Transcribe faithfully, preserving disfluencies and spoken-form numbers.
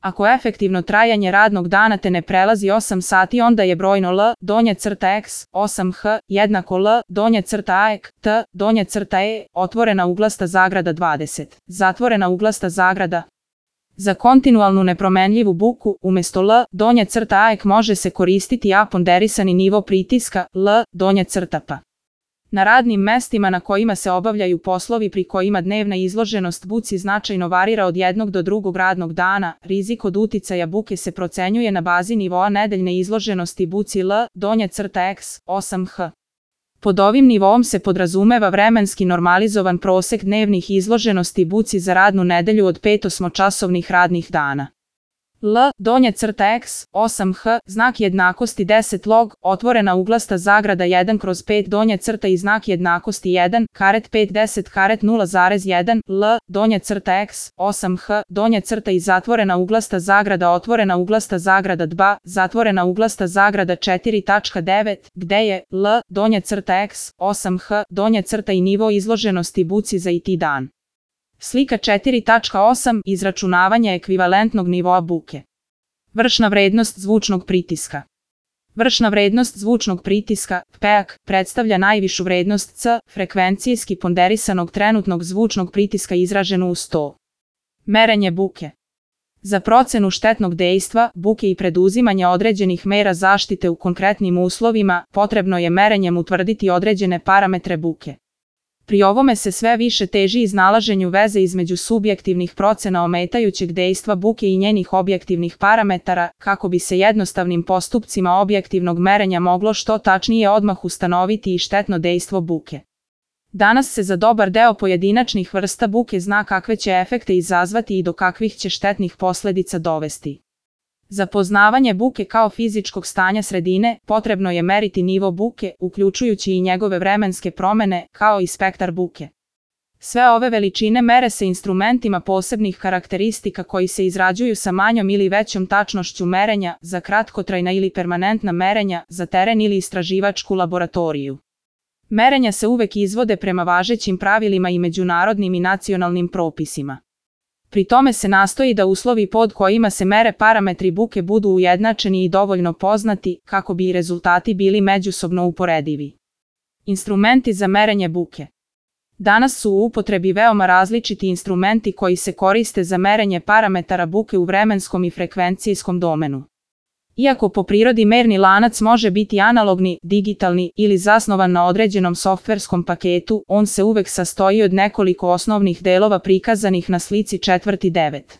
Ako efektivno trajanje radnog dana te ne prelazi osam sati, onda je brojno L, donja crta X, osam H, jednako L, donja crta A E K, T, donja crta E, otvorena uglasta zagrada dvadeset, zatvorena uglasta zagrada. Za kontinualnu nepromenljivu buku, umjesto L, donja crta A E K može se koristiti A ponderisani nivo pritiska, L, donja crta P. Na radnim mestima na kojima se obavljaju poslovi pri kojima dnevna izloženost buci značajno varira od jednog do drugog radnog dana, rizik od uticaja buke se procenjuje na bazi nivoa nedeljne izloženosti buci L, donja crta X, osam H. Pod ovim nivoom se podrazumeva vremenski normalizovan prosek dnevnih izloženosti buci za radnu nedelju od pet osmočasovnih radnih dana. L, donja crta X, osam H, znak jednakosti deset log, otvorena uglasta zagrada jedan kroz pet donja crta i znak jednakosti jedan, karet pet deset karet nula zarez jedan, L, donja crta X, osam H, donja crta i zatvorena uglasta zagrada otvorena uglasta zagrada dva, zatvorena uglasta zagrada četiri tačka devet, gde je L, donja crta X, osam H, donja crta i nivo izloženosti buci za I T dan. Slika četiri tačka osam. Izračunavanje ekvivalentnog nivoa buke. Vršna vrednost zvučnog pritiska. Vršna vrednost zvučnog pritiska, P A K, predstavlja najvišu vrednost C, frekvencijski ponderisanog trenutnog zvučnog pritiska izraženu u sto. Merenje buke. Za procenu štetnog dejstva, buke i preduzimanje određenih mera zaštite u konkretnim uslovima, potrebno je merenjem utvrditi određene parametre buke. Pri ovome se sve više teži iznalaženju veze između subjektivnih procena ometajućeg dejstva buke i njenih objektivnih parametara, kako bi se jednostavnim postupcima objektivnog merenja moglo što tačnije odmah ustanoviti i štetno dejstvo buke. Danas se za dobar deo pojedinačnih vrsta buke zna kakve će efekte izazvati i do kakvih će štetnih posledica dovesti. Za poznavanje buke kao fizičkog stanja sredine, potrebno je meriti nivo buke, uključujući i njegove vremenske promene, kao i spektar buke. Sve ove veličine mere se instrumentima posebnih karakteristika koji se izrađuju sa manjom ili većom tačnošću merenja, za kratkotrajna ili permanentna merenja, za teren ili istraživačku laboratoriju. Merenja se uvek izvode prema važećim pravilima i međunarodnim i nacionalnim propisima. Pri tome se nastoji da uslovi pod kojima se mere parametri buke budu ujednačeni i dovoljno poznati, kako bi i rezultati bili međusobno uporedivi. Instrumenti za merenje buke. Danas su u upotrebi veoma različiti instrumenti koji se koriste za merenje parametara buke u vremenskom i frekvencijskom domenu. Iako po prirodi merni lanac može biti analogni, digitalni ili zasnovan na određenom softverskom paketu, on se uvek sastoji od nekoliko osnovnih delova prikazanih na slici četvrti devet.